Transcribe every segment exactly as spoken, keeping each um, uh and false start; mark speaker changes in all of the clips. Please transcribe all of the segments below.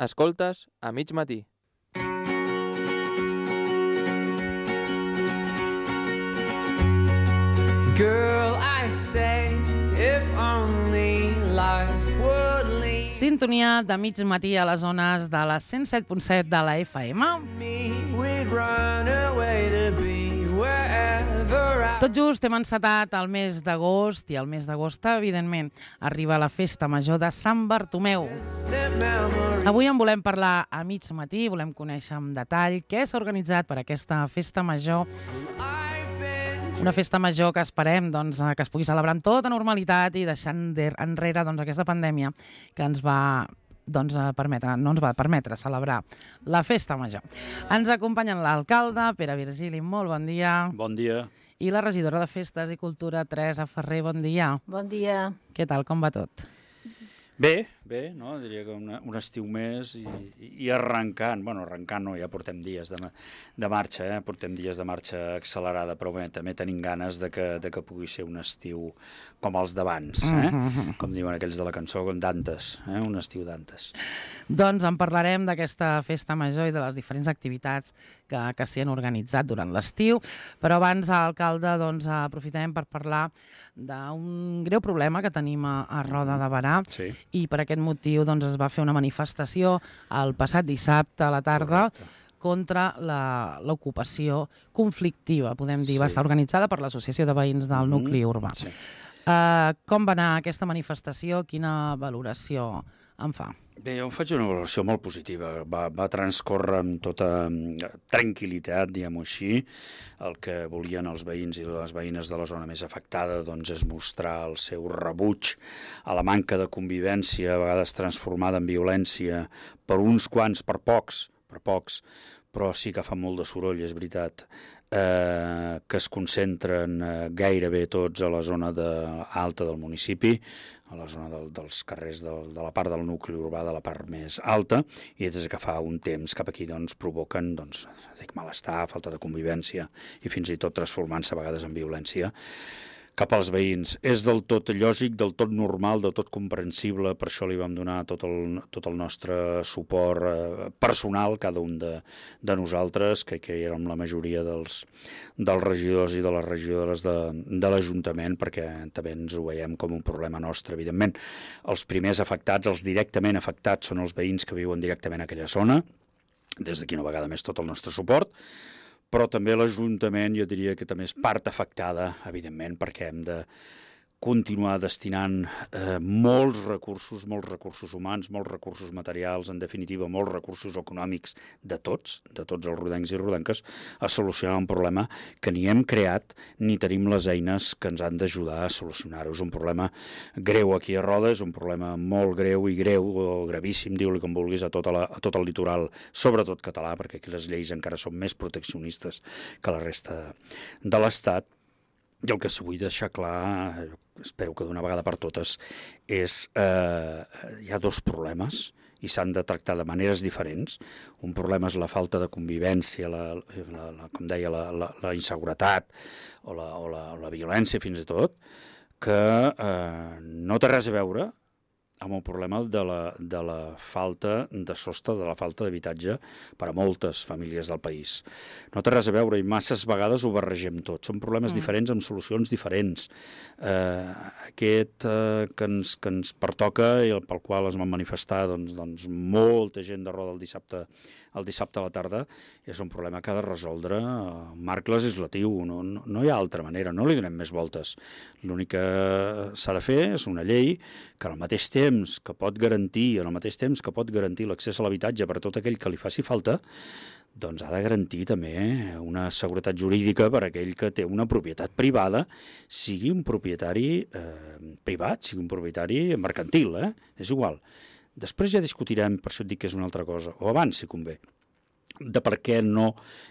Speaker 1: Escoltes a mig matí.
Speaker 2: Girl, I say, if only life would lead
Speaker 3: Sintonia de mig matí a les zones de la cent set punt set de la F M.
Speaker 2: me, we'd run away to be wherever I
Speaker 3: Tot just hem encetat el mes d'agost i el mes d'agost, evidentment, arriba la festa major de Sant Bartomeu.
Speaker 2: step memory.
Speaker 3: Avui en volem parlar a mig matí, volem conèixer en detall què s'ha organitzat per aquesta festa major.
Speaker 2: I've been
Speaker 3: Una festa major que esperem doncs, que es pugui celebrar amb tota normalitat i deixant de- enrere doncs, aquesta pandèmia que ens va doncs, permetre, no ens va permetre celebrar la festa major. Ens acompanyen l'alcalde, Pere Virgili, molt bon dia,
Speaker 4: Bon dia.
Speaker 3: i la regidora de Festes i Cultura, Teresa Ferrer, bon dia.
Speaker 5: Bon dia.
Speaker 3: Què tal, com va tot?
Speaker 4: Bé, bé, no? Diria que una, un estiu més i, i arrencant, bueno, arrencant no, ja portem dies de, de marxa, eh? portem dies de marxa accelerada, però bé, també tenim ganes de que, de que pugui ser un estiu com els d'abans, eh?
Speaker 3: Mhm.
Speaker 4: Com diuen aquells de la cançó, com d'antes, eh? Un estiu d'antes.
Speaker 3: Doncs en parlarem d'aquesta festa major i de les diferents activitats que, que s'hi han organitzat durant l'estiu, però abans, alcalde, doncs, aprofitem per parlar d'un greu problema que tenim a, a Roda de Berà,
Speaker 4: Sí.
Speaker 3: i per aquest motiu doncs, es va fer una manifestació el passat dissabte a la tarda
Speaker 4: Correcte.
Speaker 3: contra la- l'ocupació conflictiva, podem dir.
Speaker 4: Sí.
Speaker 3: Va estar organitzada per l'Associació de Veïns del
Speaker 4: Mhm.
Speaker 3: Nucli Urbà.
Speaker 4: Sí.
Speaker 3: Uh, com va anar aquesta manifestació? Quina valoració en fa?
Speaker 4: Bé, jo em faig una valoració molt positiva. Va, va transcórrer amb tota mm, tranquil·litat, diguem-ho així. El que volien els veïns i les veïnes de la zona més afectada doncs, és mostrar el seu rebuig a la manca de convivència, a vegades transformada en violència, per uns quants, per pocs, per pocs, però sí que fa molt de soroll, és veritat, eh, que es concentren eh, gairebé tots a la zona de, alta del municipi, a la zona del, dels carrers del, de la part del nucli urbà, de la part més alta, i des que fa un temps cap aquí doncs, provoquen doncs, dic, malestar, falta de convivència i fins i tot transformant-se a vegades en violència cap als veïns. És del tot lògic, del tot normal, del tot comprensible, per això li vam donar tot el, tot el nostre suport eh, personal, cada un de, de nosaltres, que, que érem la majoria dels, dels regidors i de les regidores de, de l'Ajuntament, perquè també ens ho veiem com un problema nostre, evidentment. Els primers afectats, els directament afectats, són els veïns que viuen directament a aquella zona, des d'aquí una vegada més tot el nostre suport, però també l'Ajuntament jo diria que també és part afectada, evidentment, perquè hem de continuar destinant eh, molts recursos, molts recursos humans, molts recursos materials, en definitiva, molts recursos econòmics de tots, de tots els rodencs i rodenques, a solucionar un problema que ni hem creat ni tenim les eines que ens han d'ajudar a solucionar-ho. És un problema greu aquí a Roda, és un problema molt greu i greu, o gravíssim, diu-li com vulguis, a tot, a la, a tot el litoral, sobretot català, perquè aquí les lleis encara són més proteccionistes que la resta de l'Estat. I el que sí vull deixar clar, espero que d'una vegada per totes, és eh, hi ha dos problemes i s'han de tractar de maneres diferents. Un problema és la falta de convivència, la, la, la, com deia, la, la, la inseguretat o la, o, la, o la violència fins i tot, que eh, no té res a veure amb el problema de la, de la falta de sostre, de la falta d'habitatge per a moltes famílies del país. No té res a veure i masses vegades ho barregem tot. Són problemes mm. diferents amb solucions diferents. Eh, aquest eh, que, ens, que ens pertoca i el, pel qual es van manifestar doncs, doncs, molta gent de Roda el dissabte, el dissabte a la tarda, és un problema que ha de resoldre el marc legislatiu. No, no, no hi ha altra manera, no li donem més voltes. L'únic que s'ha de fer és una llei que al mateix temps que pot garantir, al mateix temps que pot garantir l'accés a l'habitatge per a tot aquell que li faci falta, doncs ha de garantir també una seguretat jurídica per a aquell que té una propietat privada, sigui un propietari eh, privat, sigui un propietari mercantil, eh? És igual. Després ja discutirem, per això et dic que és una altra cosa, o abans si convé, de per què no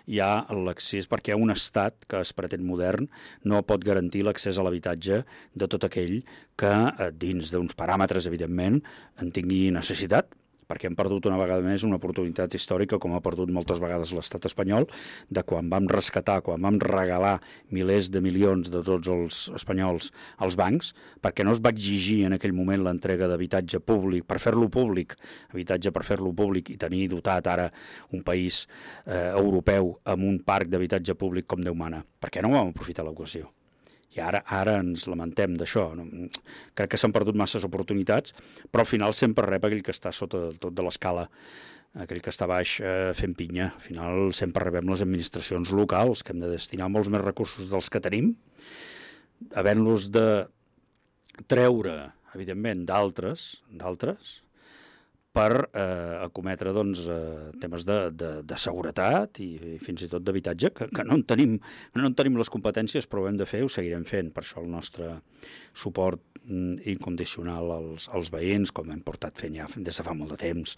Speaker 4: hi ha l'accés, perquè un estat que es pretén modern no pot garantir l'accés a l'habitatge de tot aquell que, dins d'uns paràmetres, evidentment, en tingui necessitat, perquè hem perdut una vegada més una oportunitat històrica, com ha perdut moltes vegades l'estat espanyol, de quan vam rescatar, quan vam regalar milers de milions de tots els espanyols als bancs, perquè no es va exigir en aquell moment l'entrega d'habitatge públic, per fer-lo públic, habitatge per fer-lo públic i tenir dotat ara un país eh, europeu amb un parc d'habitatge públic com Déu mana. Per què no vam aprofitar l'ocasió? I ara, ara ens lamentem d'això. No? Crec que s'han perdut masses oportunitats, però al final sempre rep aquell que està sota del tot de l'escala, aquell que està baix eh, fent pinya. Al final sempre rebem les administracions locals, que hem de destinar molts més recursos dels que tenim, havent-los de treure, evidentment, d'altres, d'altres, per eh, acometre doncs, eh, temes de, de, de seguretat i, i fins i tot d'habitatge, que, que no, en tenim, no en tenim les competències, però ho hem de fer, ho seguirem fent. Per això el nostre suport mm, incondicional als, als veïns, com hem portat fent ja des de fa molt de temps,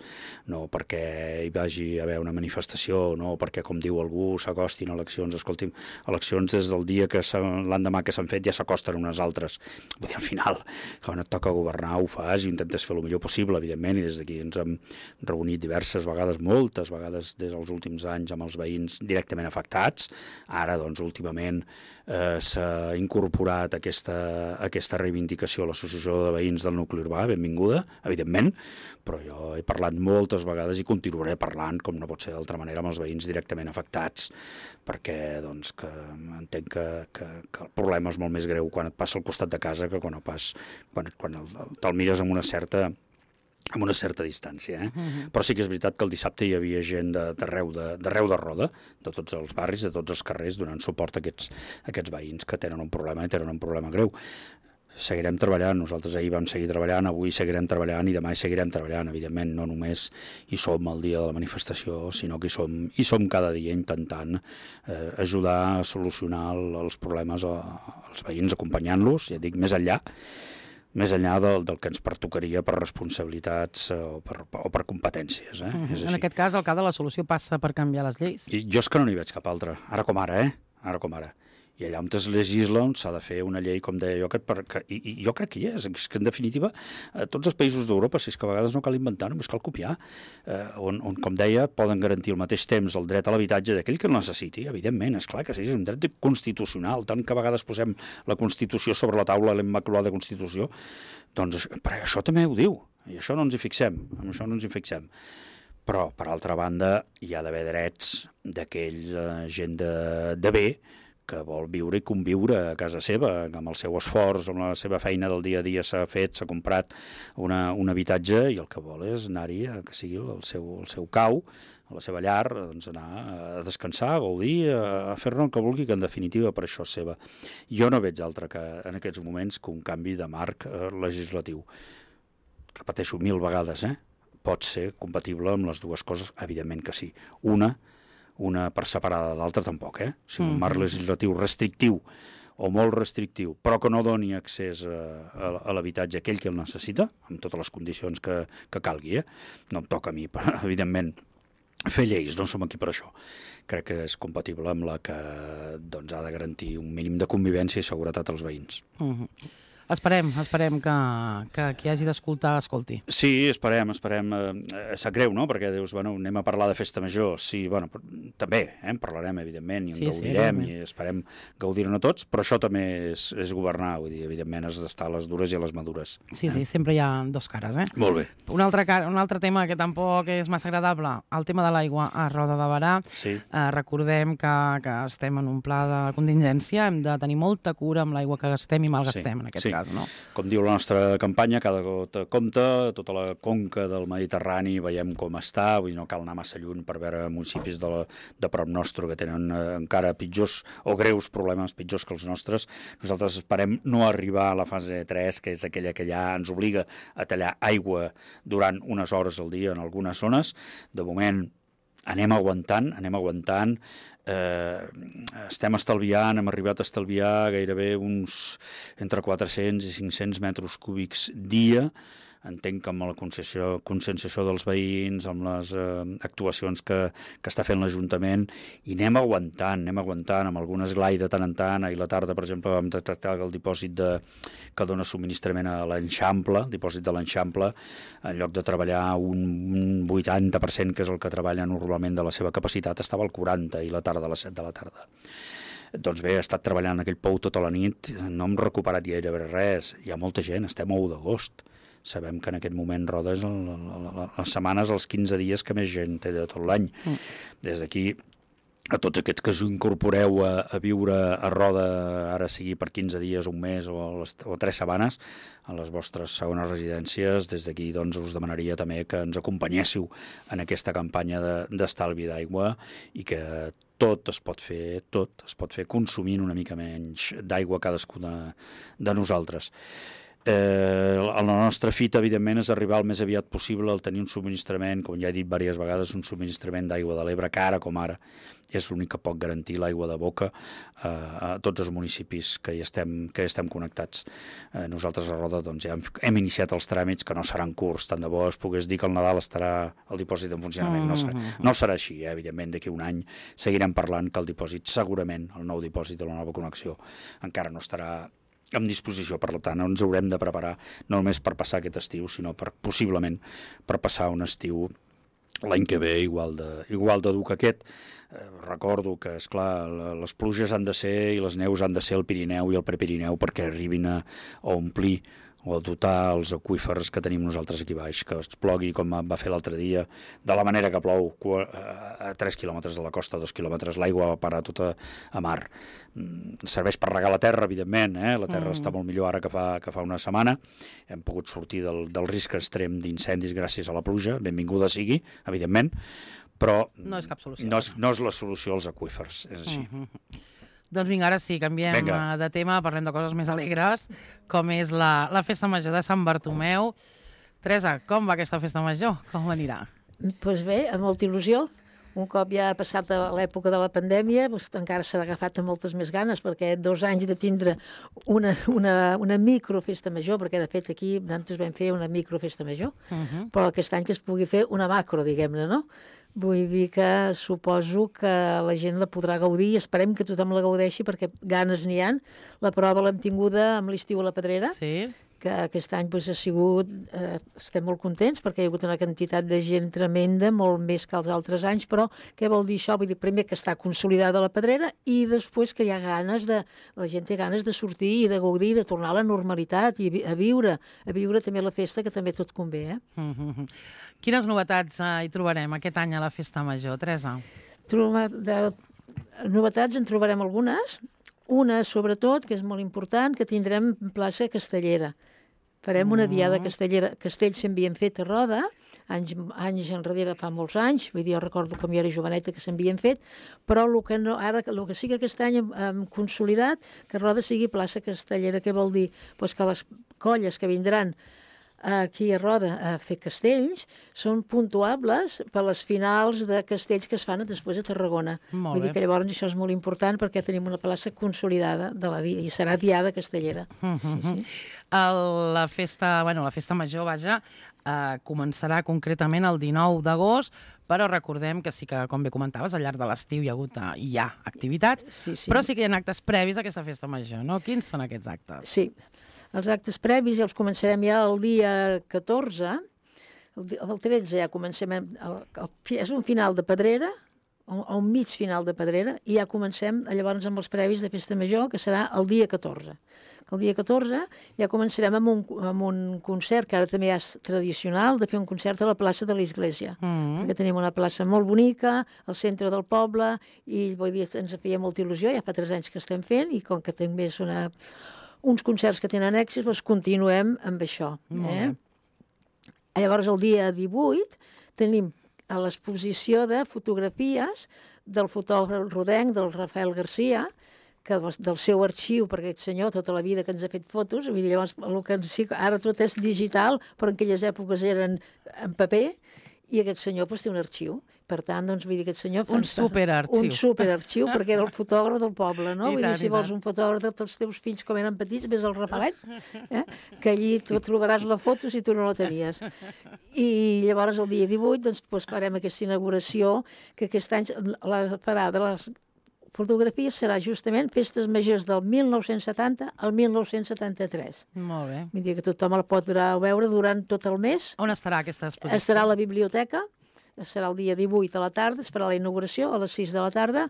Speaker 4: no perquè hi vagi a haver una manifestació, no perquè, com diu algú, s'acostin eleccions. Escolti'm, eleccions des del dia que l'endemà que s'han fet ja s'acosten unes altres. Vull dir, al final, quan et toca governar, ho fas i intentes fer el millor possible, evidentment, i des d'aquí ens hem reunit diverses vegades, moltes vegades des dels últims anys amb els veïns directament afectats. Ara, doncs, últimament eh, s'ha incorporat aquesta, aquesta reivindicació a l'Associació de Veïns del Nucli Urbà, benvinguda, evidentment, però jo he parlat moltes vegades i continuaré parlant, com no pot ser d'altra manera, amb els veïns directament afectats, perquè doncs, que entenc que, que, que el problema és molt més greu quan et passa al costat de casa que quan, no pas, quan, quan el, te'l mires amb una certa amb una certa distància. Eh? Uh-huh. Però sí que és veritat que el dissabte hi havia gent d'arreu de, de, de roda, de tots els barris, de tots els carrers, donant suport a aquests, a aquests veïns que tenen un problema i tenen un problema greu. Seguirem treballant, nosaltres ahir vam seguir treballant, avui seguirem treballant i demà hi seguirem treballant, evidentment, no només hi som el dia de la manifestació, sinó que hi som, hi som cada dia intentant eh, ajudar a solucionar els problemes als veïns, acompanyant-los, ja dic, més enllà, més enllà del, del que ens pertocaria per responsabilitats o per, o per competències. Eh?
Speaker 3: Uh-huh.
Speaker 4: És
Speaker 3: en aquest cas, el cas de la solució passa per canviar les lleis?
Speaker 4: I jo és que no n'hi veig cap altra, ara com ara, eh? Ara com ara. I allà on es legisla, on s'ha de fer una llei, com deia jo, que, que, i, i jo crec que hi és, és que en definitiva eh, tots els països d'Europa, si és que a vegades no cal inventar, només cal copiar, eh, on, on, com deia, poden garantir al mateix temps el dret a l'habitatge d'aquell que el necessiti, evidentment, és clar que sí, és un dret constitucional, tant que a vegades posem la Constitució sobre la taula, la Immaculada Constitució, doncs per això també ho diu, i això no ens hi fixem, amb això no ens hi fixem. Però, per altra banda, hi ha d'haver drets d'aquella gent de, de bé, que vol viure i conviure a casa seva, amb el seu esforç, amb la seva feina del dia a dia s'ha fet, s'ha comprat una, un habitatge i el que vol és anar-hi, que sigui el seu, el seu cau, a la seva llar, doncs anar a descansar, a gaudir, a fer-ne el que vulgui, que en definitiva per això és seva. Jo no veig altre que en aquests moments que un canvi de marc eh, legislatiu. Repeteixo mil vegades, eh? Pot ser compatible amb les dues coses? Evidentment que sí. Una, una per separada de l'altra tampoc, eh? O sigui, un marc legislatiu restrictiu o molt restrictiu, però que no doni accés a, a, a l'habitatge aquell que el necessita, amb totes les condicions que, que calgui, eh? No em toca a mi, evidentment, fer lleis, no som aquí per això. Crec que és compatible amb la que doncs, ha de garantir un mínim de convivència i seguretat als veïns.
Speaker 3: Uh-huh. Esperem, esperem que, que qui hagi d'escoltar escolti.
Speaker 4: Sí, esperem, esperem. Eh, sap greu, no?, perquè dius, bueno, anem a parlar de festa major. Sí, bueno, també, eh, en parlarem, evidentment, i en sí, gaudirem, sí, i esperem gaudir-ne tots, però això també és, és governar, vull dir, evidentment has d'estar a les dures i a les madures.
Speaker 3: Sí,
Speaker 4: eh?
Speaker 3: sí, sempre hi ha dos cares, eh?
Speaker 4: Molt bé.
Speaker 3: Un altre, un altre tema que tampoc és massa agradable, el tema de l'aigua a Roda de Berà.
Speaker 4: Sí.
Speaker 3: Eh, recordem que, que estem en un pla de contingència, hem de tenir molta cura amb l'aigua que gastem i malgastem, sí, en aquest
Speaker 4: sí.
Speaker 3: cas. No?
Speaker 4: Com diu la nostra campanya, cada gota compta, tota la conca del Mediterrani veiem com està, vull dir, no cal anar massa lluny per veure municipis de, la, de prop nostre que tenen eh, encara pitjors o greus problemes, pitjors que els nostres. Nosaltres esperem no arribar a la fase tres, que és aquella que ja ens obliga a tallar aigua durant unes hores al dia en algunes zones. De moment anem aguantant, anem aguantant, Eh, estem estalviant, hem arribat a estalviar gairebé uns entre quatre-cents i cinc-cents metres cúbics dia entenc que amb la conscienciació, conscienciació dels veïns, amb les eh, actuacions que, que està fent l'Ajuntament, i anem aguantant, anem aguantant, amb algun esglai de tant en tant. Ahir a la tarda, per exemple, vam detectar que el dipòsit de, que dona subministrament a l'Enxample, el dipòsit de l'Enxample, en lloc de treballar un vuitanta per cent, que és el que treballa normalment de la seva capacitat, estava al quaranta i la tarda a les set de la tarda. Doncs bé, he estat treballant en aquell pou tota la nit, no hem recuperat gairebé res, hi ha molta gent, estem a u d'agost. Sabem que en aquest moment Roda és el, les setmanes, els quinze dies que més gent té de tot l'any. Mm. Des d'aquí, a tots aquests que us incorporeu a, a viure a Roda, ara sigui per quinze dies, un mes o, les, o tres setmanes, a les vostres segones residències, des d'aquí doncs, us demanaria també que ens acompanyéssiu en aquesta campanya d'estalvi de, d'aigua i que tot es pot fer, tot es pot fer consumint una mica menys d'aigua cadascú de, de nosaltres. Eh, la nostra fita, evidentment, és arribar el més aviat possible al tenir un subministrament, com ja he dit diverses vegades, un subministrament d'aigua de l'Ebre, que ara com ara és l'únic que pot garantir l'aigua de boca eh, a tots els municipis que hi estem, que hi estem connectats. Eh, nosaltres a Roda doncs, ja hem, hem iniciat els tràmits, que no seran curts, tant de bo es pogués dir que al Nadal estarà el dipòsit en funcionament. No serà, no serà així, eh? Evidentment, d'aquí un any seguirem parlant que el dipòsit, segurament, el nou dipòsit de la nova connexió, encara no estarà en disposició. Per tant, ens haurem de preparar no només per passar aquest estiu, sinó per, possiblement per passar un estiu l'any que ve igual de, igual de dur que aquest. Eh, recordo que, esclar, les pluges han de ser i les neus han de ser al Pirineu i al Prepirineu perquè arribin a, a omplir o a dotar els aqüífers que tenim nosaltres aquí baix, que es plogui com va fer l'altre dia, de la manera que plou a tres quilòmetres de la costa, a dos quilòmetres, l'aigua va parar tota a mar. Serveix per regar la terra, evidentment, eh? La terra mm. està molt millor ara que fa, que fa una setmana, hem pogut sortir del, del risc extrem d'incendis gràcies a la pluja, benvinguda sigui, evidentment, però
Speaker 3: no és cap solució.
Speaker 4: No és, no és la solució als aqüífers, és així. Mm-hmm.
Speaker 3: Doncs vinga, ara sí, canviem Venga. de tema, parlem de coses més alegres, com és la, la Festa Major de Sant Bartomeu. Teresa, com va aquesta Festa Major? Com anirà?
Speaker 5: Doncs pues bé, amb molta il·lusió. Un cop ja ha passat l'època de la pandèmia, doncs encara s'ha agafat amb moltes més ganes, perquè dos anys de tindre una, una, una microfesta major, perquè de fet aquí nosaltres vam fer una microfesta major, uh-huh. però aquest any que es pugui fer una macro, diguem-ne, no? Vull dir que suposo que la gent la podrà gaudir i esperem que tothom la gaudeixi perquè ganes n'hi ha. La prova l'hem tinguda amb l'estiu a la Pedrera,
Speaker 3: sí.
Speaker 5: que aquest any doncs, ha sigut... Eh, estem molt contents perquè hi ha hagut una quantitat de gent tremenda, molt més que els altres anys, però què vol dir això? Vull dir, primer que està consolidada la Pedrera i després que hi ha ganes de... La gent té ganes de sortir i de gaudir, de tornar a la normalitat i a viure, a viure també la festa, que també tot convé, eh?
Speaker 3: Mm-hmm. Quines novetats eh, hi trobarem aquest any a la Festa Major, Teresa?
Speaker 5: Troba, de, novetats en trobarem algunes. Una, sobretot, que és molt important, que tindrem plaça Castellera. Farem una diada castellera. Castells s'havien fet a Roda, anys, anys enrere, fa molts anys, vull dir, jo recordo com jo era joveneta que s'havien fet, però el que, no, ara, el que sí que aquest any hem, hem consolidat, que Roda sigui plaça Castellera. Què vol dir? Pues que les colles que vindran aquí a Roda a fer castells són puntuables per les finals de castells que es fan després a Tarragona.
Speaker 3: Molt
Speaker 5: Vull
Speaker 3: bé.
Speaker 5: dir que llavors això és molt important perquè tenim una plaça consolidada de la dia i serà diada castellera.
Speaker 3: Mm-hmm.
Speaker 5: Sí, sí.
Speaker 3: El, la, festa, bueno, la festa major, vaja, eh, començarà concretament el dinou d'agost, però recordem que sí que, com bé comentaves, al llarg de l'estiu hi ha hagut eh, hi ha activitats,
Speaker 5: Sí, sí.
Speaker 3: però sí que hi ha actes previs a aquesta festa major, no? Quins són aquests actes?
Speaker 5: Sí, els actes previs ja els començarem ja el dia catorze, el, di- el tretze ja comencem, el, el, és un final de Pedrera, un, un mig final de Pedrera, i ja comencem llavors amb els previs de festa major, que serà el dia catorze. Que el dia catorze ja començarem amb un, amb un concert, que ara també és tradicional, de fer un concert a la plaça de l'Església.
Speaker 3: Mm.
Speaker 5: Perquè tenim una plaça molt bonica, al centre del poble, i vull dir, ens feia molta il·lusió, ja fa tres anys que estem fent, i com que també és una, uns concerts que tenen èxit, doncs continuem amb això.
Speaker 3: Molt
Speaker 5: Eh?
Speaker 3: bé.
Speaker 5: Llavors, el dia divuit, tenim a l'exposició de fotografies del fotògraf rodenc, del Rafael Garcia, que del seu arxiu, perquè aquest senyor tota la vida que ens ha fet fotos, vull dir, llavors, el que sí, ara tot és digital, però en aquelles èpoques eren en paper, i aquest senyor doncs, té un arxiu. Per tant, doncs, vull dir, aquest senyor... fa
Speaker 3: Un
Speaker 5: uns-
Speaker 3: superarxiu.
Speaker 5: Un superarxiu, perquè era el fotògraf del poble, no?
Speaker 3: I
Speaker 5: Vull
Speaker 3: tant,
Speaker 5: dir, si
Speaker 3: i
Speaker 5: vols
Speaker 3: tant.
Speaker 5: un fotògraf dels teus fills com eren petits, ves al Rafalet, eh? Que allí tu trobaràs la foto si tu no la tenies. I llavors, el dia divuit, doncs, doncs farem aquesta inauguració, que aquest any la farà de les fotografies serà justament Festes Majors del mil nou-cents setanta al mil nou-cents setanta-tres.
Speaker 3: Molt bé.
Speaker 5: Vull dir que tothom la pot durar a veure durant tot el mes.
Speaker 3: On estarà aquesta exposició?
Speaker 5: Estarà a la biblioteca, serà el dia divuit a la tarda, es farà la inauguració a les sis de la tarda,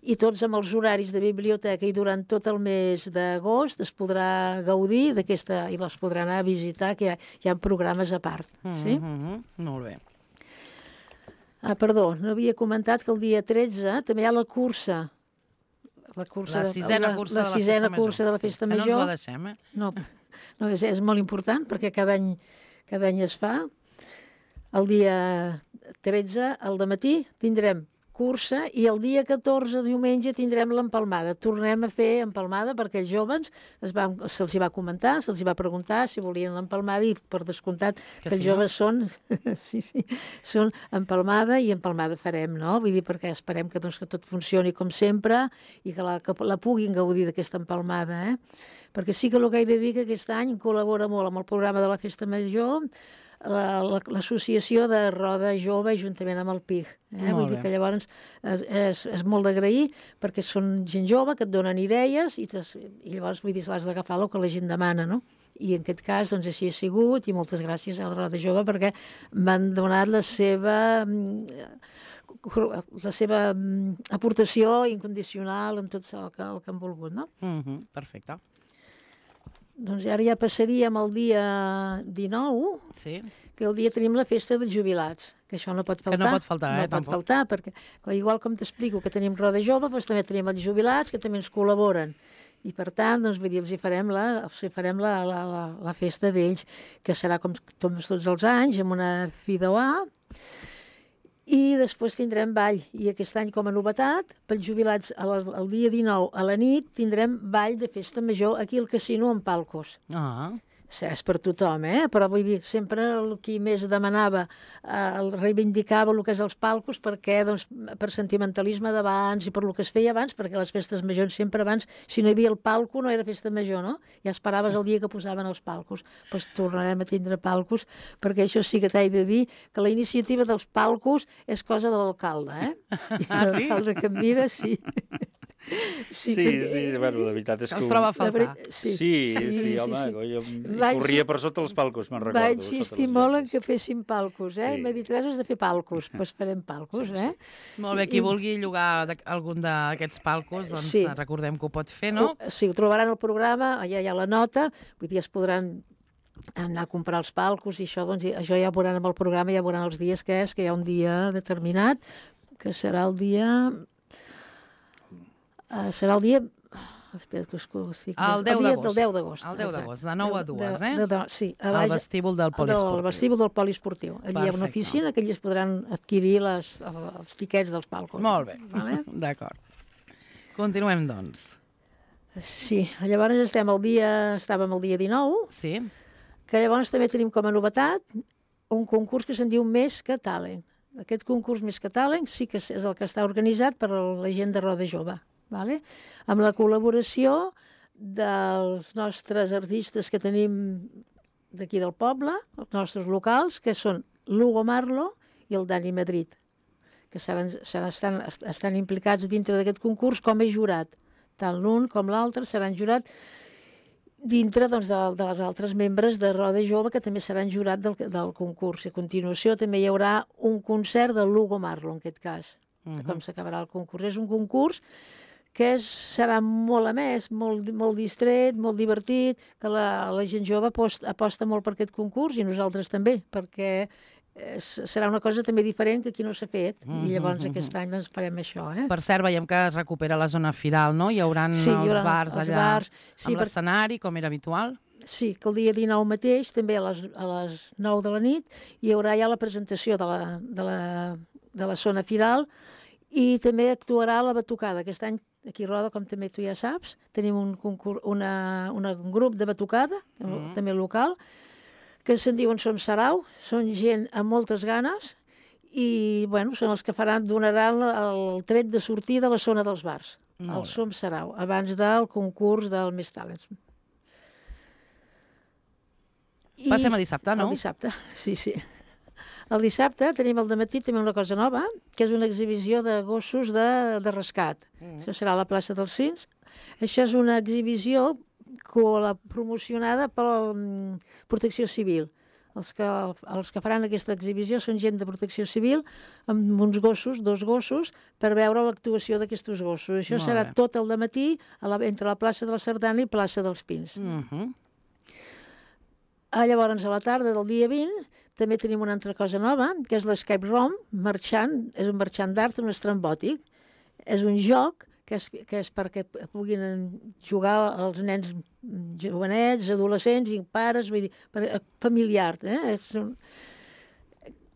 Speaker 5: i tots amb els horaris de biblioteca i durant tot el mes d'agost es podrà gaudir d'aquesta, i les podrà anar a visitar, que hi ha, hi ha programes a part. Sí?
Speaker 3: Mm -hmm. Molt bé.
Speaker 5: Ah, perdó, no havia comentat que el dia tretze també hi ha la cursa. La, cursa
Speaker 3: La
Speaker 5: de-
Speaker 3: sisena cursa
Speaker 5: la,
Speaker 3: de la
Speaker 5: sisena
Speaker 3: Festa
Speaker 5: cursa
Speaker 3: Major.
Speaker 5: de la Festa
Speaker 3: Que no
Speaker 5: Major.
Speaker 3: ens la deixem, eh?
Speaker 5: No, no és, és molt important perquè cada any, cada any es fa. El dia tretze, al dematí, tindrem cursa i el dia catorze, diumenge, tindrem l'empalmada. Tornem a fer empalmada perquè els joves es van, se'ls hi va comentar, se'ls hi va preguntar si volien l'empalmada i per descomptat que,
Speaker 3: Que
Speaker 5: els
Speaker 3: sí, no?
Speaker 5: joves són, sí, sí, són empalmada i empalmada farem, no? Vull dir, perquè esperem que, doncs, que tot funcioni com sempre i que la, que la puguin gaudir d'aquesta empalmada, eh? Perquè sí que el que he de dir que aquest any col·labora molt amb el programa de la Festa Major la- la- l'associació de Roda Jove juntament amb el P I G. Eh?
Speaker 3: Molt
Speaker 5: Vull dir
Speaker 3: bé.
Speaker 5: que llavors és, és, és molt d'agrair perquè són gent jove que et donen idees i, tes, i llavors vull dir, l'has d'agafar el que la gent demana, no? I en aquest cas doncs així ha sigut i moltes gràcies a la Roda Jove perquè m'han donat la seva mm, la seva mm, aportació incondicional amb tot el que, el que han volgut, no?
Speaker 3: Mm -hmm. Perfecte.
Speaker 5: Doncs ara ja passaríem al dia dinou,
Speaker 3: Sí.
Speaker 5: que el dia tenim la festa dels jubilats, que això no pot
Speaker 3: Que
Speaker 5: faltar.
Speaker 3: no pot faltar, eh,
Speaker 5: No pot
Speaker 3: tampoc.
Speaker 5: faltar, perquè igual com t'explico que tenim Roda Jove, doncs també tenim els jubilats que també ens col·laboren. I per tant, doncs, vull dir, els hi farem la, els hi farem la, la, la, la festa d'ells, que serà com tots, tots els anys, amb una fideuà, i després tindrem ball. I aquest any, com a novetat, pels jubilats, a les, el dia dinou a la nit, tindrem ball de festa major aquí al casino amb palcos.
Speaker 3: Ah,
Speaker 5: És per tothom, eh? Però vull dir, sempre el qui més demanava, eh, el reivindicava el que és els palcos, perquè, doncs, per sentimentalisme d'abans i per el que es feia abans, perquè les festes majors sempre abans, si no hi havia el palco, no era festa major, no? Ja esperaves el dia que posaven els palcos. Doncs tornarem a tindre palcos, perquè això sí que t'he de dir que la iniciativa dels palcos és cosa de l'alcalde, eh? I
Speaker 3: Ah, sí?
Speaker 5: l'alcalde que em mira, sí.
Speaker 4: Sí,
Speaker 5: que-
Speaker 4: sí, bueno, la veritat és
Speaker 3: que
Speaker 4: que...
Speaker 3: els troba a
Speaker 5: La
Speaker 3: faltar.
Speaker 5: veri-
Speaker 4: Sí, sí, sí, home, jo
Speaker 5: Vaig-
Speaker 4: corria per sota els palcos, me'n recordo.
Speaker 5: Va
Speaker 4: sota
Speaker 5: insistir
Speaker 4: les
Speaker 5: molt en
Speaker 4: lletres.
Speaker 5: que fessin palcos, eh?
Speaker 4: Sí.
Speaker 5: I m'ha dit, res, has de fer palcos. Doncs farem palcos,
Speaker 4: Sí, sí.
Speaker 5: eh?
Speaker 3: Molt bé, qui
Speaker 5: I-
Speaker 3: vulgui llogar de- algun d'aquests palcos, doncs
Speaker 5: Sí.
Speaker 3: recordem que ho pot fer, no?
Speaker 5: Ho- Sí, ho trobaran al programa, allà hi ha la nota, vull dir, es podran anar a comprar els palcos i això, doncs, i això ja ho veuran amb el programa, ja veuran els dies que és, que hi ha un dia determinat, que serà el dia... Uh, serà el dia... Espera, que us, que us dic...
Speaker 3: El deu
Speaker 5: dia
Speaker 3: d'agost.
Speaker 5: del deu d'agost.
Speaker 3: El deu
Speaker 5: exacte.
Speaker 3: d'agost, de nou a
Speaker 5: De-
Speaker 3: dues,
Speaker 5: de-
Speaker 3: eh?
Speaker 5: de- de- sí, a
Speaker 3: Al
Speaker 5: baix,
Speaker 3: vestíbul del
Speaker 5: del
Speaker 3: poliesportiu.
Speaker 5: vestíbul del poliesportiu. Allí hi ha una
Speaker 3: Perfecte.
Speaker 5: oficina que allí es podran adquirir les, els tiquets dels palcos.
Speaker 3: Molt bé,
Speaker 5: Vale?
Speaker 3: d'acord. Continuem, doncs.
Speaker 5: Sí, llavors estem el dia, estàvem el dia dinou,
Speaker 3: Sí?
Speaker 5: que llavors també tenim com a novetat un concurs que se'n diu Més que Talent. Aquest concurs Més que Talent sí que és el que està organitzat per la gent de Roda Jove, vale? Amb la col·laboració dels nostres artistes que tenim d'aquí del poble, els nostres locals, que són l'Hugo Marlo i el Dani Madrid, que seran, seran, estan, estan implicats dintre d'aquest concurs com a jurat. Tant l'un com l'altre seran jurat dintre doncs, de, de les altres membres de Roda Jove que també seran jurat del, del concurs. A continuació també hi haurà un concert de l'Hugo Marlo, en aquest cas, uh -huh. com s'acabarà el concurs. És un concurs que és, serà molt amès, molt, molt distret, molt divertit, que la, la gent jove aposta, aposta molt per aquest concurs i nosaltres també, perquè és, serà una cosa també diferent que aquí no s'ha fet.
Speaker 3: Mm,
Speaker 5: I llavors
Speaker 3: mm, mm,
Speaker 5: aquest any doncs, farem això. Eh?
Speaker 3: Per cert, veiem que es recupera la zona firal, no? Hi haurà
Speaker 5: Sí, hi
Speaker 3: els
Speaker 5: haurà
Speaker 3: bars
Speaker 5: els
Speaker 3: allà
Speaker 5: bars, sí,
Speaker 3: amb
Speaker 5: per-
Speaker 3: l'escenari, com era habitual.
Speaker 5: Sí, que el dia dinou mateix, també a les, a les nou de la nit, hi haurà ja la presentació de la, de la, de la zona firal i també actuarà la batucada. Aquest any, aquí a Roda, com també tu ja saps, tenim un, concurs, una, una, un grup de batucada,
Speaker 3: Mm.
Speaker 5: també local, que se'n diuen Som Sarau, són gent amb moltes ganes i bueno, són els que faran, donaran el tret de sortida a la zona dels bars,
Speaker 3: Molt
Speaker 5: al
Speaker 3: bé.
Speaker 5: Som Sarau, abans del concurs del Més Talents. I
Speaker 3: Passem a dissabte, no?
Speaker 5: El dissabte, sí, sí. El dissabte tenim al dematí també una cosa nova, que és una exhibició de gossos de, de rescat. Mm. Això serà a la plaça dels Cins. Això és una exhibició co- promocionada per la Protecció Civil. Els que, els que faran aquesta exhibició són gent de Protecció Civil amb uns gossos, dos gossos, per veure l'actuació d'aquests gossos. Això
Speaker 3: Molt
Speaker 5: serà
Speaker 3: bé.
Speaker 5: tot el dematí a la, entre la plaça de la Sardana i plaça dels Pins.
Speaker 3: Mhm.
Speaker 5: Ah, llavors, a la tarda del dia vint, també tenim una altra cosa nova, que és l'Escape Room, marxant, és un marxant d'art, un estrambòtic. És un joc que és, que és perquè puguin jugar els nens jovenets, adolescents i pares, vull dir, per, familiar. Eh? És un,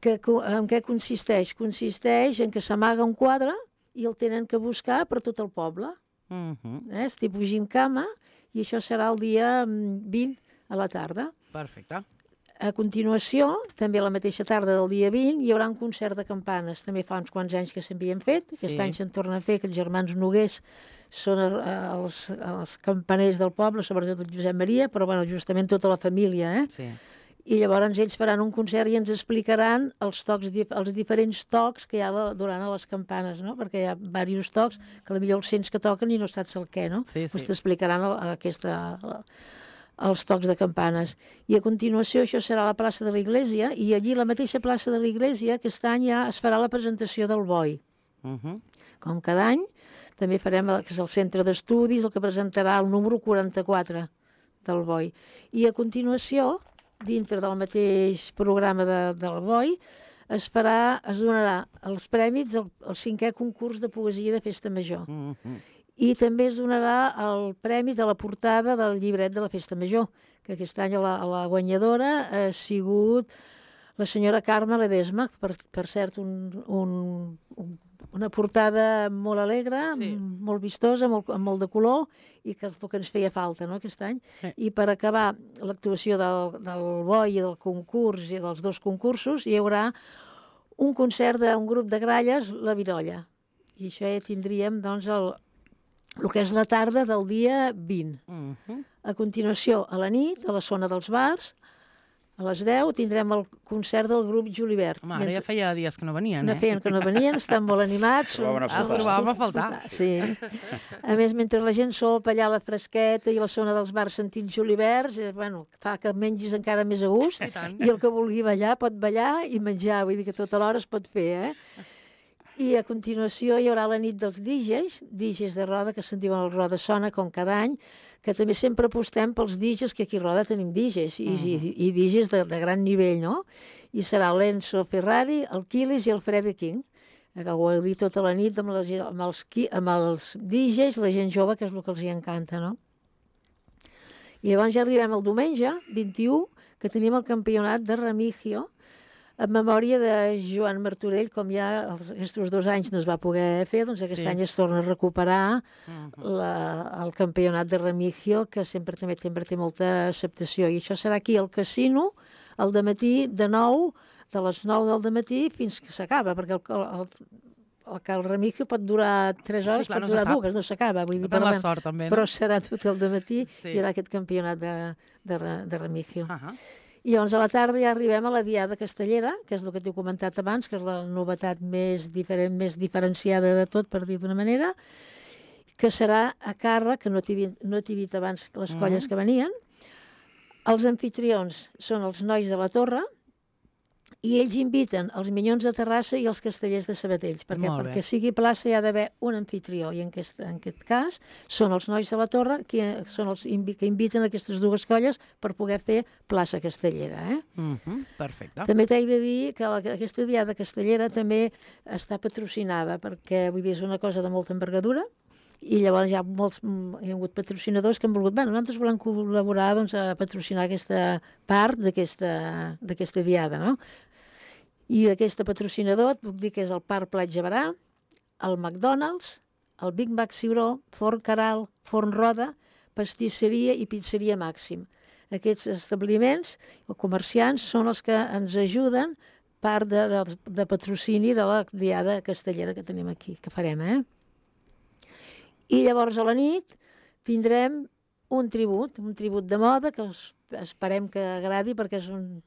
Speaker 5: que, en què consisteix? Consisteix en que s'amaga un quadre i el tenen que buscar per tot el poble.
Speaker 3: Mhm.
Speaker 5: Eh? És tipus gimcama i això serà el dia vint a la tarda.
Speaker 3: Perfecte.
Speaker 5: A continuació, també a la mateixa tarda del dia vint, hi haurà un concert de campanes. També fa uns quants anys que s'havien fet. Aquest
Speaker 3: Sí.
Speaker 5: any se'n torna a fer, que els germans Noguers són eh, els, els campaners del poble, sobretot el Josep Maria, però bueno, justament tota la família. Eh?
Speaker 3: Sí.
Speaker 5: I llavors ells faran un concert i ens explicaran els tocs, dif- els diferents tocs que hi ha de, durant les campanes, no? Perquè hi ha diversos tocs que potser els sents que toquen i no saps el què, no?
Speaker 3: Sí, sí.
Speaker 5: Pues t'explicaran el, aquesta... els tocs de campanes. I a continuació això serà a la plaça de l'Iglésia i allí a la mateixa plaça de l'Iglésia aquest any ja es farà la presentació del boi.
Speaker 3: Mhm.
Speaker 5: Com cada any, també farem el, que és el centre d'estudis, el que presentarà el número quaranta-quatre del boi. I a continuació, dintre del mateix programa de, del boi, es farà, es donarà els prèmits al, al cinquè concurs de poesia de Festa Major.
Speaker 3: Mhm.
Speaker 5: I també es donarà el premi de la portada del llibret de la Festa Major, que aquest any la, la guanyadora ha sigut la senyora Carme Ledesma, per, per cert, un, un, un, una portada molt alegre,
Speaker 3: Sí.
Speaker 5: m- molt vistosa, molt, amb molt de color, i que és el que ens feia falta, no?, aquest any.
Speaker 3: Sí.
Speaker 5: I per acabar l'actuació del, del boi i del concurs, i dels dos concursos, hi haurà un concert d'un grup de gralles, la Virolla. I això ja tindríem, doncs, el, el que és la tarda del dia vint.
Speaker 3: Mhm.
Speaker 5: A continuació, a la nit, a la zona dels bars, a les deu, tindrem el concert del grup Julivert.
Speaker 3: Home, ara ja feia dies que no venien,
Speaker 5: No
Speaker 3: eh?
Speaker 5: feien que no venien, estan molt animats.
Speaker 4: Trobaven a
Speaker 5: són-
Speaker 4: faltar.
Speaker 3: Ah, trobàvem a faltar.
Speaker 5: Sí. A més, mentre la gent sopa allà a la fresqueta i a la zona dels bars sentint Juliverts, eh, bueno, fa que mengis encara més a gust.
Speaker 3: I tant.
Speaker 5: I el que vulgui ballar pot ballar i menjar, vull dir que tota l'hora es pot fer, eh? I a continuació hi haurà la nit dels D Js, D Js de Roda, que se'n diuen el Roda Sona, com cada any, que també sempre apostem pels D Js, que aquí a Roda tenim D Js, i, i, i D Js de, de gran nivell, no? I serà l'Enzo Ferrari, el Quilis i el Freddie King, que ho heu dit tota la nit amb, les, amb, els, qui- amb els D Js, la gent jove, que és el que els hi encanta, no? I llavors ja arribem al diumenge, vint-i-u, que tenim el campionat de Remigio, en memòria de Joan Martorell, com ja els, aquests dos anys no es va poder fer, doncs aquest
Speaker 3: Sí.
Speaker 5: any es torna a recuperar
Speaker 3: Mhm.
Speaker 5: la, el campionat de Remigio, que sempre també sempre té molta acceptació. I això serà aquí al casino, al dematí, de nou, de les nou del dematí fins que s'acaba, perquè el, el, el, que el Remigio pot durar tres
Speaker 3: Sí,
Speaker 5: hores,
Speaker 3: clar,
Speaker 5: pot
Speaker 3: no se
Speaker 5: durar
Speaker 3: sap.
Speaker 5: dues, no s'acaba. Vull dir,
Speaker 3: Depèn
Speaker 5: però,
Speaker 3: la
Speaker 5: bueno,
Speaker 3: sort, també, no?
Speaker 5: però serà tot el dematí,
Speaker 3: Sí.
Speaker 5: hi haurà aquest campionat de, de, re- de Remigio.
Speaker 3: Ahà.
Speaker 5: I llavors a la tarda ja arribem a la Diada Castellera, que és el que t'he comentat abans, que és la novetat més diferent, més diferenciada de tot, per dir d'una manera, que serà a càrrec, que no t'he dit, no t'he dit abans les
Speaker 3: Mhm.
Speaker 5: colles que venien. Els anfitrions són els nois de la Torre, i ells inviten els Minyons de Terrassa i els Castellers de Sabatells, perquè
Speaker 3: Molt bé.
Speaker 5: perquè sigui plaça hi ha d'haver un anfitrió, i en aquest, en aquest cas són els nois de la Torre que són els invi que inviten aquestes dues colles per poder fer plaça castellera. Eh?
Speaker 3: Mhm. Perfecte.
Speaker 5: També t'he de dir que la, aquesta Diada Castellera també està patrocinada, perquè vull dir, és una cosa de molta envergadura, i llavors hi ha molts, mm, hi ha hagut patrocinadors que han volgut, bueno, nosaltres volem col·laborar doncs, a patrocinar aquesta part d'aquesta d'aquesta Diada, no? I d'aquesta patrocinador et puc dir que és el Parc Platja Barà, el McDonald's, el Big Mac Ciuró, Forn Caral, Forn Roda, pastisseria i pizzeria Màxim. Aquests establiments o comerciants són els que ens ajuden part de, de, de patrocini de la diada castellera que tenim aquí, que farem, eh? I llavors a la nit tindrem un tribut, un tribut de moda que us, esperem que agradi perquè és, un,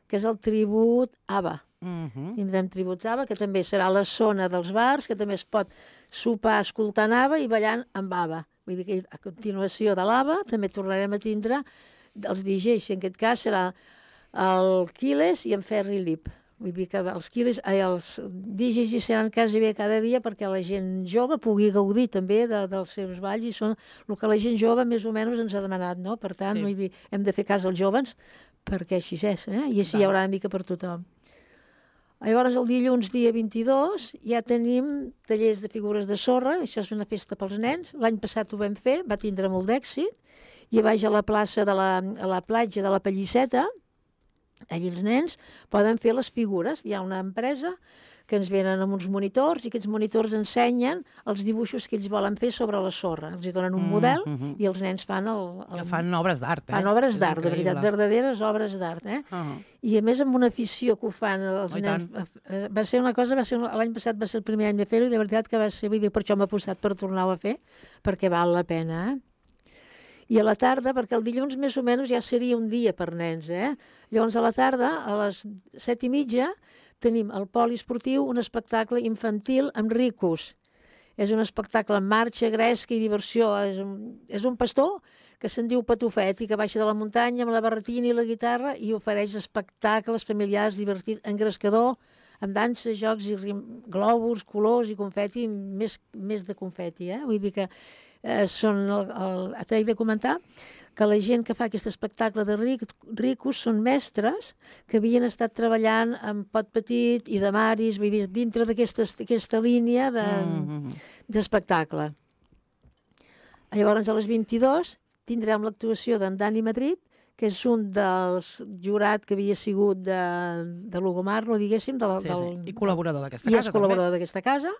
Speaker 5: que és el tribut ABBA.
Speaker 3: Mhm.
Speaker 5: Tindrem tributs ABBA, que també serà la zona dels bars, que també es pot sopar escoltant ABBA i ballant amb ABBA. Vull dir que a continuació de l'ABBA també tornarem a tindre els D Js, i en aquest cas serà el Quiles i en Ferri Lip. Vull dir que els Quiles, ai, els D Js hi seran quasi bé cada dia perquè la gent jove pugui gaudir també de, dels seus balls, i són el que la gent jove més o menys ens ha demanat, no? Per tant,
Speaker 3: Sí.
Speaker 5: vull dir, hem de fer cas als joves perquè així és, eh? I així hi haurà una mica per tothom. Llavors, el dilluns, dia vint-i-dos, ja tenim tallers de figures de sorra, això és una festa pels nens. L'any passat ho vam fer, va tindre molt d'èxit, i a baix a la plaça de la, a la platja de la Pallisseta, allà els nens poden fer les figures. Hi ha una empresa que ens venen amb uns monitors, i aquests monitors ensenyen els dibuixos que ells volen fer sobre la sorra. Els hi donen un model
Speaker 3: Mm, mhm.
Speaker 5: i els nens fan el... el...
Speaker 3: Que fan obres d'art, eh?
Speaker 5: Fan obres
Speaker 3: És
Speaker 5: d'art, de veritat,
Speaker 3: increïble.
Speaker 5: verdaderes obres d'art, eh?
Speaker 3: Uh -huh.
Speaker 5: I a més amb una afició que ho fan els
Speaker 3: Oh, i
Speaker 5: nens. Eh, Va ser una cosa, va ser un- l'any passat va ser el primer any de fer-ho, i de veritat que va ser, vull dir, per això m'ha apostat per tornar-ho a fer, perquè val la pena, eh? I a la tarda, perquè el dilluns més o menys ja seria un dia per nens, eh? Llavors a la tarda, a les set i mitja, tenim al poliesportiu un espectacle infantil amb ricos. És un espectacle amb marxa, gresca i diversió. És un, és un pastor que se'n diu Patufet i que baixa de la muntanya amb la barretina i la guitarra i ofereix espectacles familiars divertits, engrescador, amb dansa, jocs i rim, globus, colors i confeti, més, més de confeti, eh? Vull dir que eh, són el, el, t'he de comentar que la gent que fa aquest espectacle de ric, ricos són mestres que havien estat treballant amb Pot Petit i de Maris, vull dir, dintre d'aquesta línia de,
Speaker 3: Mhm.
Speaker 5: d'espectacle. Llavors, a les vint-i-dos tindrem l'actuació d'en Dani Madrid, que és un dels jurat que havia sigut de, de Lugomarlo, diguéssim, de la,
Speaker 3: Sí,
Speaker 5: del,
Speaker 3: sí. I col·laborador d'aquesta
Speaker 5: i
Speaker 3: casa,
Speaker 5: és col·laborador d'aquesta casa,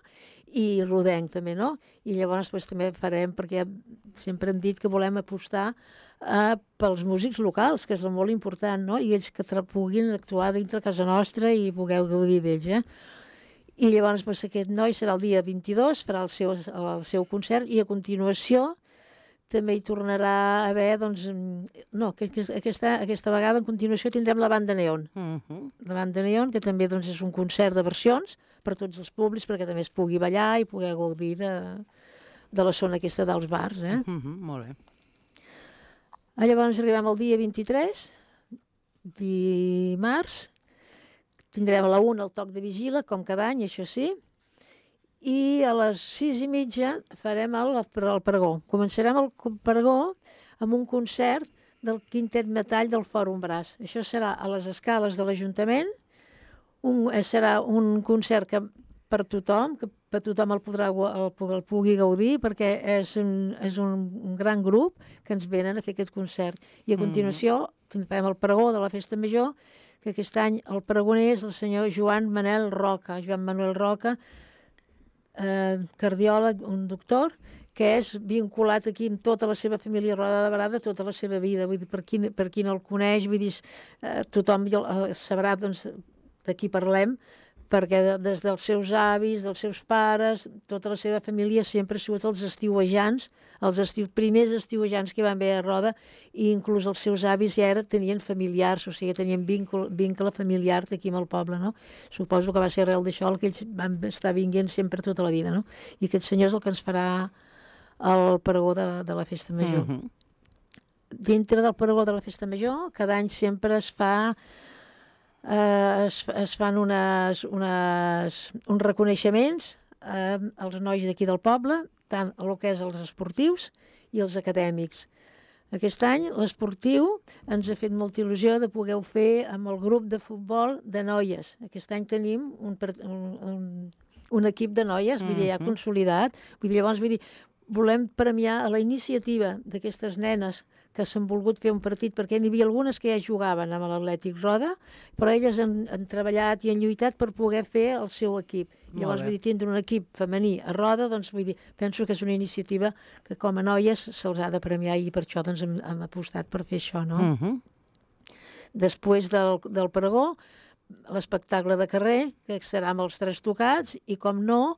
Speaker 5: i rodenc també, no? I llavors pues, també farem, perquè sempre hem dit que volem apostar eh, pels músics locals, que és molt important, no? I ells que tra- puguin actuar dintre casa nostra i pugueu gaudir d'ells, eh? I llavors pues, aquest noi serà el dia vint-i-dos, farà el seu, el seu concert, i a continuació també hi tornarà a haver, doncs, no, que, que aquesta, aquesta vegada a continuació tindrem la banda Neon.
Speaker 3: Mhm.
Speaker 5: La banda Neon, que també doncs, és un concert de versions per tots els públics, perquè també es pugui ballar i poder gaudir de, de la zona aquesta dels bars. Eh?
Speaker 3: Mhm, molt bé.
Speaker 5: Ah, llavors arribem al dia vint-i-tres, dimarts, tindrem a la una el toc de vigila, com cada any, això sí, i a les sis i mitja farem el, el pregó. Començarem el pregó amb un concert del Quintet Metall del Fòrum Bràs. Això serà a les escales de l'Ajuntament, un, serà un concert que per tothom, que per tothom el, podrà, el, el pugui gaudir, perquè és, un, és un, un gran grup que ens venen a fer aquest concert. I a continuació mm. farem el pregó de la Festa Major, que aquest any el pregoner és el senyor Joan Manel Roca. Joan Manuel Roca, eh, cardiòleg, un doctor, que és vinculat aquí amb tota la seva família Roda de Barada, tota la seva vida. Vull dir, per qui, per qui no el coneix, vull dir, eh, tothom eh, sabrà doncs, de qui parlem, perquè de, des dels seus avis, dels seus pares, tota la seva família sempre ha sigut els estiuejants, els estiu, primers estiuejants que van haver a Roda, i inclús els seus avis ja era, tenien familiars, o sigui, tenien vincle, vincle familiar d'aquí amb el poble, no? Suposo que va ser arrel d'això el que ells van estar vinguent sempre tota la vida, no? I aquest senyor és el que ens farà el pregó de, de la Festa Major.
Speaker 3: Mhm.
Speaker 5: Dintre del pregó de la Festa Major, cada any sempre es fa eh, es, es fan unes, unes, uns reconeixements eh, als nois d'aquí del poble, tant el que és els esportius i els acadèmics. Aquest any l'esportiu ens ha fet molta il·lusió de poder fer amb el grup de futbol de noies. Aquest any tenim un, un, un, un equip de noies, vull dir, ja consolidat. Vull dir, llavors, vull dir, volem premiar a la iniciativa d'aquestes nenes que s'han volgut fer un partit, perquè n'hi havia algunes que ja jugaven amb l'Atlètic Roda, però elles han, han treballat i han lluitat per poder fer el seu equip.
Speaker 3: Molt
Speaker 5: Llavors,
Speaker 3: bé.
Speaker 5: vull dir, tindre un equip femení a Roda, doncs, vull dir, penso que és una iniciativa que com a noies se'ls ha de premiar, i per això doncs, hem, hem apostat per fer això, no?
Speaker 3: Mhm.
Speaker 5: Després del, del pregó l'espectacle de carrer, que estarà amb els Tres Tocats, i com no,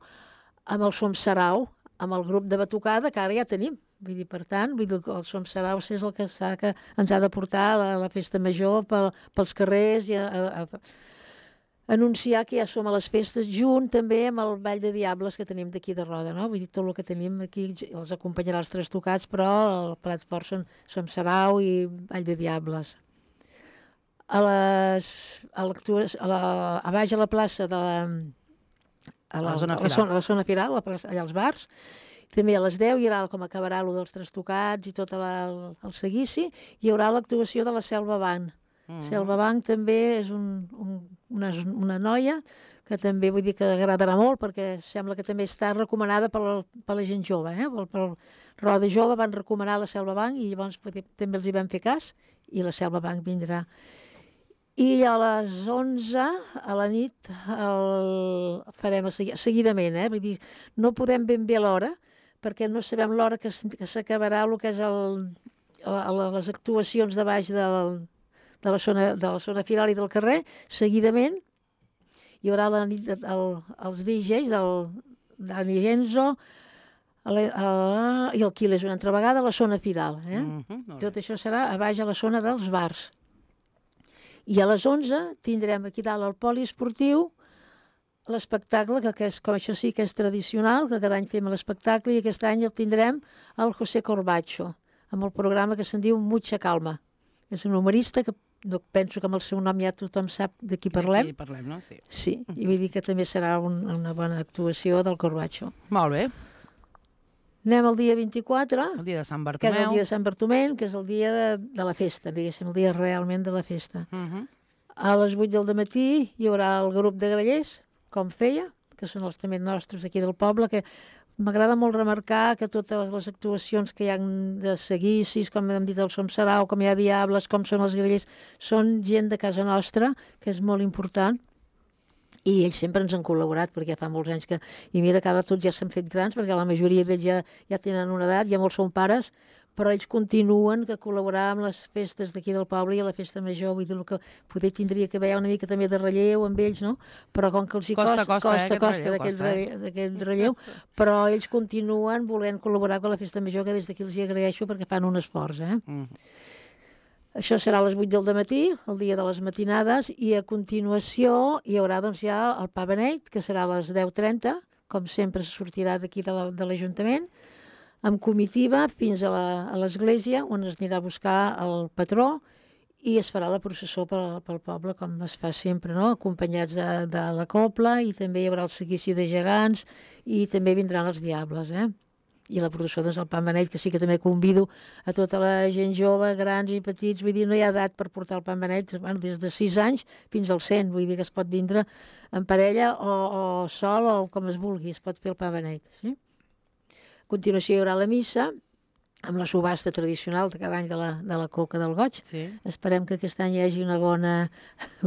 Speaker 5: amb el Som Sarau, amb el grup de batucada, que ara ja tenim. Vull dir, per tant, vull dir, el Som Sarau és el que, està, que ens ha de portar a la, la festa major pel, pels carrers i a, a, a, anunciar que ja som a les festes, junt també amb el Ball de Diables que tenim d'aquí de Roda, no? Vull dir, tot el que tenim aquí els acompanyarà els Tres Tocats, però el plat fort són Som Sarau i Ball de Diables. A, les, a, a, la, a baix a la plaça de la, a la,
Speaker 3: a la zona
Speaker 5: a la, zona, a la zona firal, a la plaça, allà als bars, també a les deu hi haurà com acabarà allò dels Tres Tocats i tot la, el, el seguici, hi haurà l'actuació de la Selva Banc. Mm-hmm. Selva Banc també és un, un, una, una noia que també vull dir que agradarà molt perquè sembla que també està recomanada per la, per la gent jove, eh? pel, pel Roda Jove van recomanar la Selva Banc i llavors també els hi vam fer cas i la Selva Banc vindrà. I a les onze a la nit el farem seguidament, eh? Vull dir, no podem ben bé l'hora, perquè no sabem l'hora que s'acabarà el que és el, el, les actuacions de baix del, de, la zona, de la zona firal i del carrer. Seguidament hi haurà la nit, el, els D Js del Dani Genzo el, el, i el Quiles una altra vegada a la zona firal. Eh? Mm-hmm, tot això serà a baix a la zona dels bars. I a les onze tindrem aquí dalt al poliesportiu l'espectacle, que, que és, com això sí que és tradicional, que cada any fem l'espectacle, i aquest any el tindrem al José Corbacho, amb el programa que se'n diu Mucha Calma. És un humorista que no, penso que amb el seu nom ja tothom sap de qui parlem.
Speaker 3: De qui parlem, no? Sí.
Speaker 5: Sí, i vull dir que també serà un, una bona actuació del Corbacho.
Speaker 3: Molt bé.
Speaker 5: Anem al dia vint-i-quatre,
Speaker 3: el dia de Sant Bartomeu.
Speaker 5: Que és el dia de Sant Bartomeu, que és el dia de, de la festa, diguéssim, el dia realment de la festa.
Speaker 3: Uh-huh.
Speaker 5: A les vuit del matí hi haurà el grup de grallers, com feia, que són els també nostres aquí del poble, que m'agrada molt remarcar que totes les actuacions que hi ha de seguicis, com hem dit el Som Sarau, com hi ha Diables, com són els grallers, són gent de casa nostra, que és molt important, i ells sempre ens han col·laborat, perquè fa molts anys que... I mira que ara tots ja s'han fet grans, perquè la majoria d'ells ja, ja tenen una edat, ja molts són pares, però ells continuen que col·laborar amb les festes d'aquí del poble i a la festa major, vull dir, el que poder tindria que haver una mica també de relleu amb ells, no? Però com que els hi costa,
Speaker 3: costa,
Speaker 5: costa,
Speaker 3: eh,
Speaker 5: costa d'aquest relleu, d'aquest relleu, però ells continuen volent col·laborar amb la festa major, que des d'aquí els hi agraeixo perquè fan un esforç, eh? Mm. Això serà a les vuit del matí, el dia de les matinades, i a continuació hi haurà doncs ja el pa beneit, que serà a les deu trenta, com sempre se sortirà d'aquí de l'Ajuntament, amb comitiva fins a l'església, on es anirà a buscar el patró i es farà la processó pel, pel poble, com es fa sempre, no? Acompanyats de, de la copla, i també hi haurà el seguici de gegants i també vindran els diables, eh? I la processó doncs, del pa beneit, que sí que també convido a tota la gent jove, grans i petits, vull dir, no hi ha edat per portar el pa beneit, bueno, des de sis anys fins als cent, vull dir que es pot vindre en parella o, o sol o com es vulgui, es pot fer el pa beneit, sí? A continuació hi haurà la missa, amb la subhasta tradicional de cada any de la, de la coca del goig.
Speaker 3: Sí.
Speaker 5: Esperem que aquest any hi hagi una bona,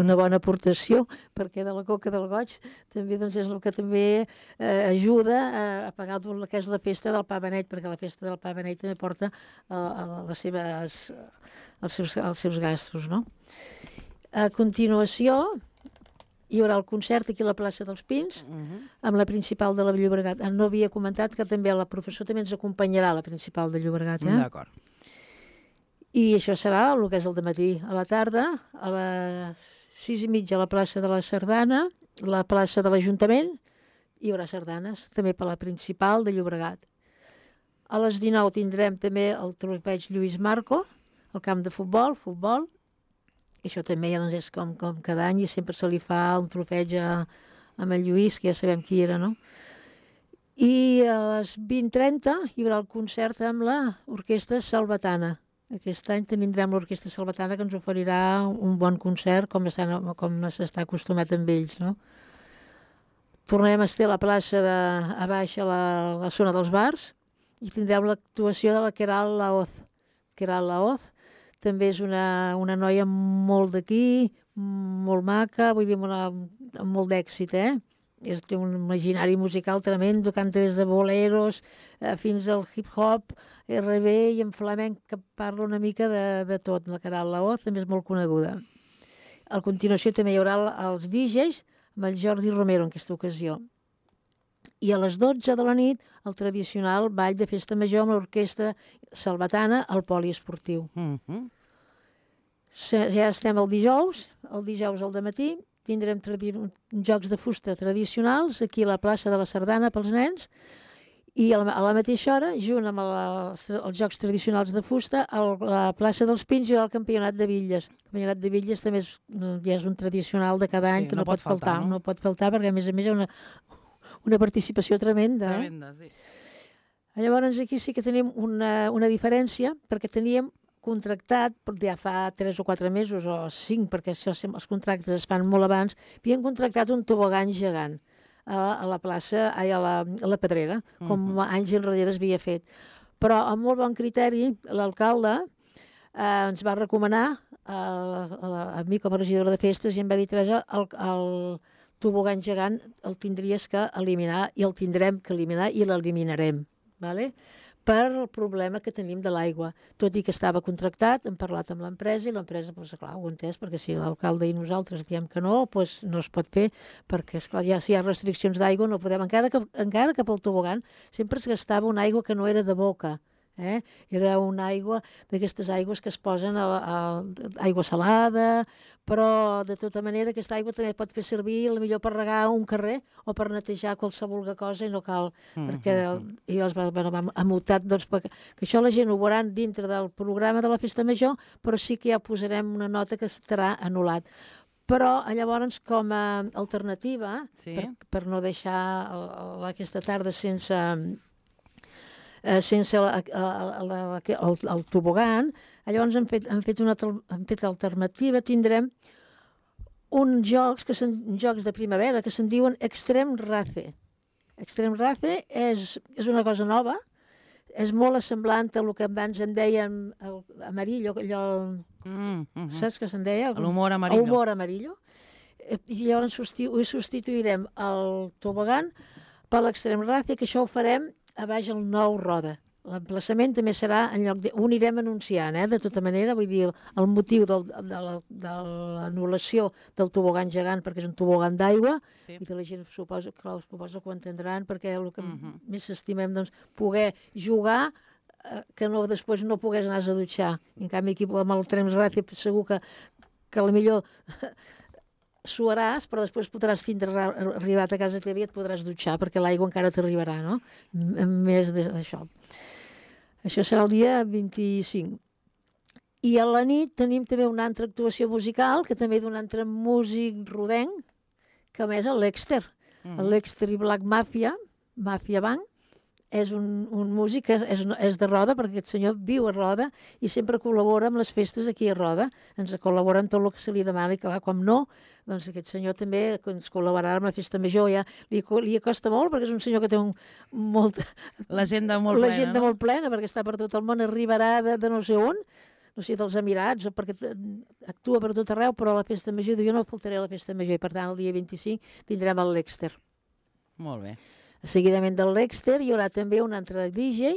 Speaker 5: una bona aportació, perquè de la coca del goig també doncs, és el que també eh, ajuda a, a pagar tot el que és la festa del pa beneit, perquè la festa del pa beneit també porta a, a les seves, els, seus, els seus gastos, no? A continuació hi haurà el concert aquí a la plaça dels Pins, uh-huh. amb la principal de la Llobregat. No havia comentat que també la professor també ens acompanyarà, la principal de Llobregat. Eh?
Speaker 3: D'acord.
Speaker 5: I això serà el que és el dematí. A la tarda, a les sis i mitja a la plaça de la Sardana, la plaça de l'Ajuntament, hi haurà sardanes, també per la principal de Llobregat. A les dinou tindrem també el tropeig Lluís Marco, el camp de futbol, futbol. Això també ja, doncs, és com, com cada any, i sempre se li fa un trofeig a, amb el Lluís, que ja sabem qui era, no? I a les vint trenta hi haurà el concert amb l'Orquestra Salvatana. Aquest any tindrem l'Orquestra Salvatana, que ens oferirà un bon concert, com s'està acostumat amb ells, no? Tornarem a estar a la plaça de, a baix, a la, a la zona dels bars, i tindrem l'actuació de la Queralt Laoz. Queralt Laoz també és una, una noia molt d'aquí, molt maca, vull dir, una, amb molt d'èxit, eh? És, té un imaginari musical tremendo, canta des de boleros eh, fins al hip-hop, erre be i en flamenc, que parla una mica de, de tot. La Queralt Laoz també és molt coneguda. A continuació també hi haurà els D Js amb el Jordi Romero en aquesta ocasió. I a les dotze de la nit, el tradicional ball de festa major amb l'orquestra salvatana al poliesportiu.
Speaker 3: Mm -hmm.
Speaker 5: Ja estem el dijous, el dijous al dematí, tindrem jocs de fusta tradicionals aquí a la plaça de la Sardana pels nens, i a la, a la mateixa hora, junt amb la, els jocs tradicionals de fusta, a la plaça dels Pins hi haurà el campionat de bitlles. El campionat de bitlles també és, ja és un tradicional de cada any, sí, que no, no pot faltar, faltar no? no pot faltar, perquè a més a més hi ha una, una participació tremenda.
Speaker 3: Tremenda,
Speaker 5: eh?
Speaker 3: sí.
Speaker 5: Llavors aquí sí que tenim una, una diferència, perquè teníem contractat, ja fa tres o quatre mesos, o cinc, perquè això, els contractes es fan molt abans, havien contractat un tobogan gegant a, a la plaça, a la, a la Pedrera, com uh -huh. anys enrere es havia fet. Però amb molt bon criteri, l'alcalde eh, ens va recomanar a, a, a mi com a regidora de festes i em va dir, Teresa, el, el tobogan gegant el tindries que eliminar i el tindrem que eliminar i l'eliminarem, ¿vale? Per el problema que tenim de l'aigua. Tot i que estava contractat, hem parlat amb l'empresa i l'empresa, doncs, clar, ho ha entès, perquè si l'alcalde i nosaltres diem que no, doncs no es pot fer, perquè, esclar, ja si hi ha restriccions d'aigua no podem, encara que, encara que pel tobogan sempre es gastava una aigua que no era de boca, eh? Era una aigua d'aquestes aigües que es posen a, a, a aigua salada, però de tota manera aquesta aigua també pot fer servir millor per regar un carrer o per netejar qualsevol cosa i no cal, mm-hmm. perquè i els va, bueno, va mutat, doncs, perquè, que això la gent ho veuran dintre del programa de la festa major, però sí que ja posarem una nota que estarà anul·lat. Però llavors com a alternativa, sí. per, per no deixar el, el, aquesta tarda sense... Eh, sense la, la, la, el, el tobogan, llavors hem fet, hem fet una hem fet alternativa, tindrem uns jocs, que són jocs de primavera, que se'n diuen Extrem Race. Extrem Race és, és una cosa nova, és molt semblant a el que abans en dèiem el amarillo, allò, mm, mm, saps què se'n deia?
Speaker 3: L'humor amarillo.
Speaker 5: L'humor amarillo. I llavors substitu substituirem el tobogan per l'Extrem Race, que això ho farem a baix el nou Roda. L'emplaçament també serà en lloc de... Ho anirem anunciant, eh? De tota manera, vull dir, el motiu del, de l'anul·lació del tobogan gegant, perquè és un tobogan d'aigua, sí. I que la gent suposa, clar, suposa que ho entendran, perquè el que uh-huh. més estimem, doncs, poder jugar, eh, que no, després no pogués anar a dutxar. En canvi, aquí amb el Extrem Race segur que, que potser suaràs, però després podràs tindre arribat a casa teva i et podràs dutxar, perquè l'aigua encara t'arribarà, no? Més d'això. Això serà el dia vint-i-cinc. I a la nit tenim també una altra actuació musical, que també d'un altre músic rodenc, que a més és l'Exter. Mm. L'Exter i Black Mafia, Mafia Band, és un, un músic que és, és de Roda, perquè aquest senyor viu a Roda i sempre col·labora amb les festes aquí a Roda. Ens col·labora en tot el que se li demana i, clar, com no, doncs aquest senyor també ens col·laborarà amb la festa major. Ja li, li acosta molt, perquè és un senyor que té un, molt...
Speaker 3: L'agenda molt plena,
Speaker 5: L'agenda
Speaker 3: no?
Speaker 5: molt plena, perquè està per tot el món, arribarà de, de no sé on, no sé, dels Emirats, o perquè actua per tot arreu, però a la festa major, jo no faltaré a la festa major, i per tant el dia vint-i-cinc tindrem el l'Exter.
Speaker 3: Molt bé.
Speaker 5: Seguidament del l'Exter hi haurà també un altre D J,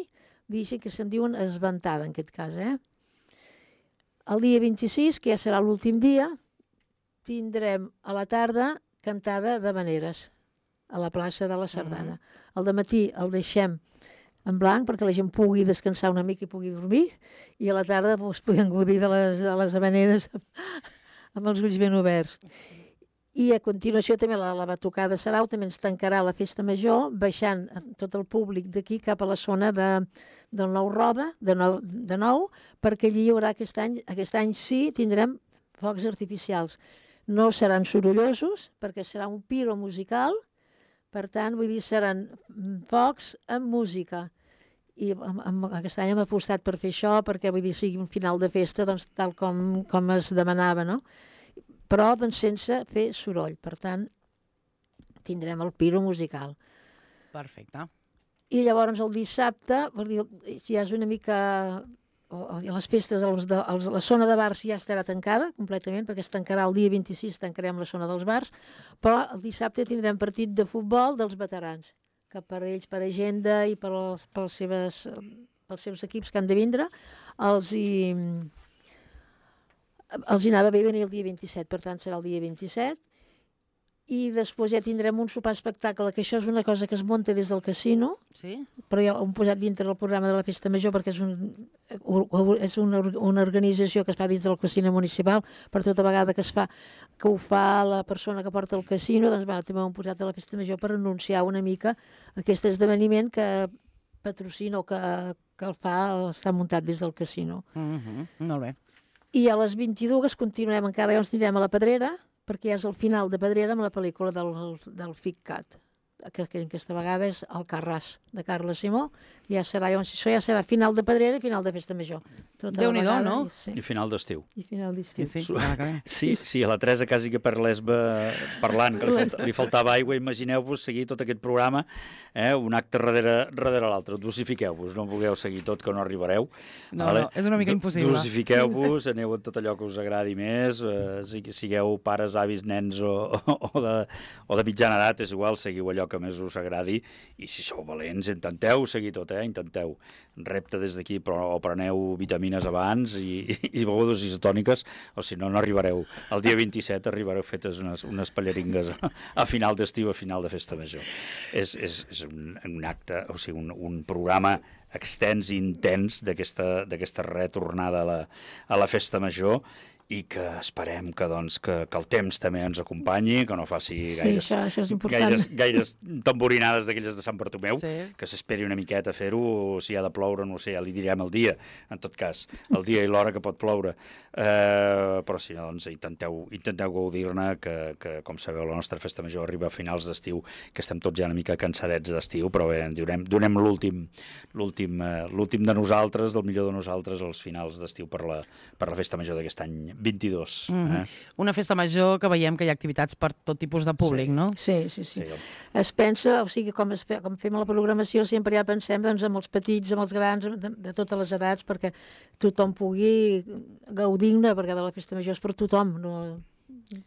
Speaker 5: D J que se'n diuen Esventada, en aquest cas, eh? El dia vint-i-sis, que ja serà l'últim dia, tindrem a la tarda cantada d'havaneres a la plaça de la Sardana. Mm-hmm. Al dematí el deixem en blanc perquè la gent pugui descansar una mica i pugui dormir, i a la tarda doncs, puguem gaudir de les, de les havaneres amb, amb els ulls ben oberts. I a continuació també la, la batucada de Sarau també ens tancarà la festa major, baixant tot el públic d'aquí cap a la zona de, del Nou Roda, de nou, de nou, perquè allí hi haurà aquest any, aquest any sí tindrem focs artificials. No seran sorollosos, perquè serà un piro musical, per tant, vull dir, seran focs amb música. I amb, amb, aquest any hem apostat per fer això, perquè vull dir, sigui un final de festa, doncs, tal com, com es demanava, no? Però doncs, sense fer soroll. Per tant, tindrem el piro musical.
Speaker 3: Perfecte.
Speaker 5: I llavors el dissabte, dir, ja és una mica... Les festes, els de, els, la zona de bars ja estarà tancada completament, perquè es tancarà el dia vint-i-sis, tancarem la zona dels bars, però el dissabte tindrem partit de futbol dels veterans, que per ells, per agenda i per els, pels, seves, pels seus equips que han de vindre, els hi... els hi anava bé venir el dia vint-i-set, per tant serà el dia vint-i-set, i després ja tindrem un sopar espectacle, que això és una cosa que es munta des del casino,
Speaker 3: Sí?
Speaker 5: però ja ho hem posat dintre del programa de la Festa Major perquè és, un, és una, una organització que es fa dins del casino municipal, per tota vegada que es fa, que ho fa la persona que porta el casino, doncs bueno, també ho hem posat a la Festa Major per anunciar una mica aquest esdeveniment que patrocina o que, que el fa, està muntat des del casino.
Speaker 3: Mm -hmm. Molt bé.
Speaker 5: I a les vint-i-dues continuem, encara ja ens anirem a la Pedrera, perquè és el final de Pedrera amb la pel·lícula del, del FICCAT, que, que aquesta vegada és Alcarràs, de Carles Simó. Ja serà, llavors, això ja serà final de Pedrera i final de Festa Major. Tota
Speaker 3: Déu-n'hi-do, no?
Speaker 5: I, sí,
Speaker 4: I final d'estiu.
Speaker 5: i final d'estiu.
Speaker 3: Sí, sí, ja que bé.
Speaker 4: Sí, sí, a la Teresa quasi que per l'Esba parlant, que li, falta, li faltava aigua, imagineu-vos seguir tot aquest programa, eh, un acte darrere, darrere l'altre. Dosifiqueu-vos, no vulgueu seguir tot, que no arribareu.
Speaker 3: No, vale? no, és una mica impossible.
Speaker 4: Dosifiqueu-vos, aneu a tot allò que us agradi més, eh, sigueu pares, avis, nens o, o, de, o de mitjana edat, és igual, seguiu allò que més us agradi, i si sou valents, intenteu seguir tot, eh, intenteu. Repte des d'aquí, però o preneu vitamines abans i, i begudes isotòniques, o si no, no arribareu. El dia vint-i-set arribareu fetes unes, unes pallaringues a, a final d'estiu, a final de Festa Major. És, és, és un, un acte, o sigui, un, un programa extens i intens d'aquesta retornada a la, a la Festa Major, i que esperem que, doncs, que, que el temps també ens acompanyi, que no faci gaires,
Speaker 5: sí, això, això és important.
Speaker 4: gaires, gaires tamborinades d'aquelles de Sant Bartomeu,
Speaker 3: Sí.
Speaker 4: que s'esperi una miqueta a fer-ho, si ha de ploure, no ho sé, ja li direm el dia, en tot cas, el dia i l'hora que pot ploure. Eh, però si no, doncs intenteu, intenteu gaudir-ne, que, que, com sabeu, la nostra Festa Major arriba a finals d'estiu, que estem tots ja una mica cansadets d'estiu, però bé, donem, donem l'últim l'últim eh, l'últim de nosaltres, del millor de nosaltres, als finals d'estiu per la, per la Festa Major d'aquest any vint-i-dos.
Speaker 3: Mm -hmm.
Speaker 4: eh?
Speaker 3: Una festa major que veiem que hi ha activitats per tot tipus de públic,
Speaker 4: Sí.
Speaker 3: no?
Speaker 5: Sí, sí, sí.
Speaker 4: Sí.
Speaker 5: Es pensa, o sigui, com, es fe, com fem a la programació, sempre ja pensem doncs, amb els petits, amb els grans, de, de totes les edats, perquè tothom pugui gaudir-ne, perquè de la Festa Major és per tothom, no...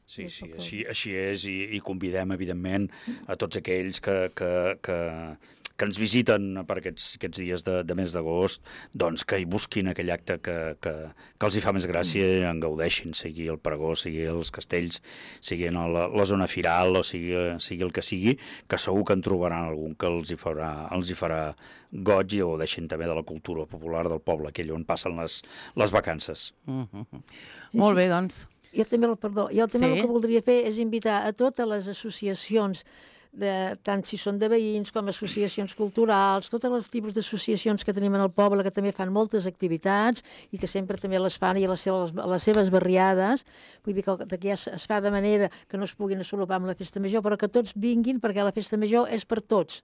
Speaker 4: Sí, sí, així, així és, i, i convidem, evidentment, a tots aquells que, que, que, que ens visiten per aquests, aquests dies de, de mes d'agost, doncs que hi busquin aquell acte que, que, que els hi fa més gràcia i en gaudeixin, sigui el pregó, sigui els castells, sigui a la, la zona firal, o sigui, sigui el que sigui, que segur que en trobaran algun que els hi farà, els hi farà goig, i gaudeixin també de la cultura popular del poble, aquell on passen les, les vacances.
Speaker 3: Mm -hmm.
Speaker 5: Sí,
Speaker 3: Molt
Speaker 5: sí.
Speaker 3: bé, doncs.
Speaker 5: Jo també, perdó, jo també
Speaker 3: Sí.
Speaker 5: el que voldria fer és invitar a totes les associacions, de, tant si són de veïns com associacions culturals, tots els tipus d'associacions que tenim en el poble, que també fan moltes activitats i que sempre també les fan i a les seves, a les seves barriades, vull dir que aquí es, es fa de manera que no es puguin assolopar amb la Festa Major, però que tots vinguin, perquè la Festa Major és per tots,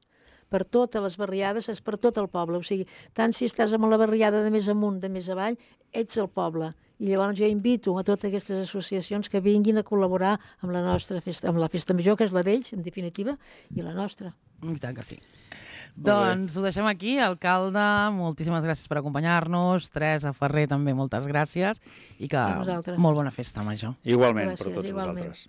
Speaker 5: per totes les barriades, és per tot el poble, o sigui, tant si estàs en la barriada de més amunt, de més avall, ets el poble. I llavors jo invito a totes aquestes associacions que vinguin a col·laborar amb la nostra festa, amb la Festa Major, que és la d'ells, en definitiva, i la nostra.
Speaker 3: I tant que sí. Doncs ho deixem aquí. Alcalde, moltíssimes gràcies per acompanyar-nos. Teresa Ferrer, també moltes gràcies. I que
Speaker 5: A vosaltres.
Speaker 3: molt bona festa major.
Speaker 4: Igualment,
Speaker 5: Gràcies,
Speaker 4: per tots
Speaker 5: igualment.
Speaker 4: vosaltres.